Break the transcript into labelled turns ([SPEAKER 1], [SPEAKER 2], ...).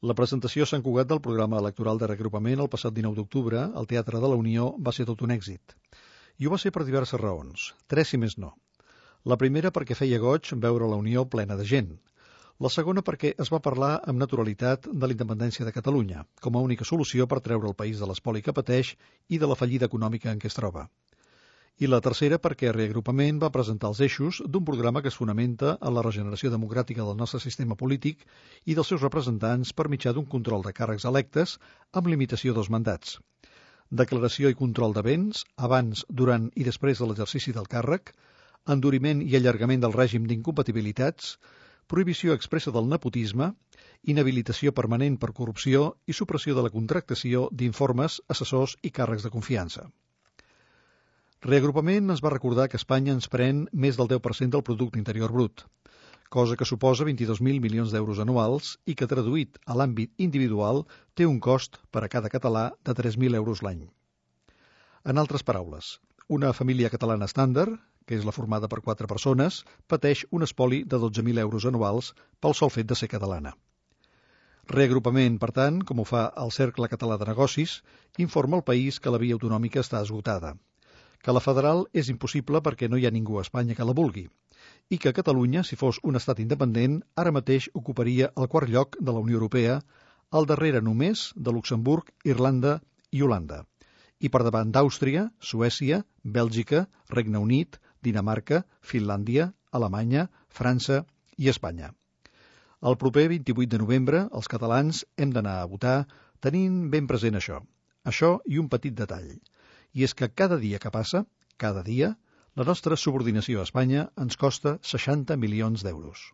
[SPEAKER 1] La presentació a Sant Cugat del programa electoral de reagrupament el passat 19 d'octubre al Teatre de la Unió va ser tot un èxit. I ho va ser per diverses raons, 3 si més no. La primera perquè feia goig veure la Unió plena de gent. La segona perquè es va parlar amb naturalitat de la independència de Catalunya, com a única solució per treure el país de l'espoli que pateix i de la fallida econòmica en què es troba. I la tercera perquè Reagrupament va presentar els eixos d'un programa que es fonamenta en la regeneració democràtica del nostre sistema polític i dels seus representants per mitjà d'un control de càrrecs electes amb limitació dels mandats. Declaració i control de béns abans, durant i després de l'exercici del càrrec, enduriment i allargament del règim d'incompatibilitats, prohibició expressa del nepotisme, inhabilitació permanent per corrupció i supressió de la contractació d'informes, assessors i càrrecs de confiança. Reagrupament ens va recordar que Espanya ens pren més del 10% del producte interior brut, cosa que suposa 22.000 milions d'euros anuals i que, traduït a l'àmbit individual, té un cost per a cada català de 3.000 euros l'any. En altres paraules, una família catalana estàndard, que és la formada per 4 persones, pateix un espoli de 12.000 euros anuals pel sol fet de ser catalana. Reagrupament, per tant, com ho fa el Cercle Català de Negocis, informa al país que la via autonòmica està esgotada, que la federal és impossible perquè no hi ha ningú a Espanya que la vulgui, i que Catalunya, si fos un estat independent, ara mateix ocuparia el 4è lloc de la Unió Europea, al darrere només de Luxemburg, Irlanda i Holanda, i per davant d'Àustria, Suècia, Bèlgica, Regne Unit, Dinamarca, Finlàndia, Alemanya, França i Espanya. El proper 28 de novembre, els catalans hem d'anar a votar tenint ben present això i un petit detall. I és que cada dia que passa, cada dia, la nostra subordinació a Espanya ens costa 60 milions d'euros.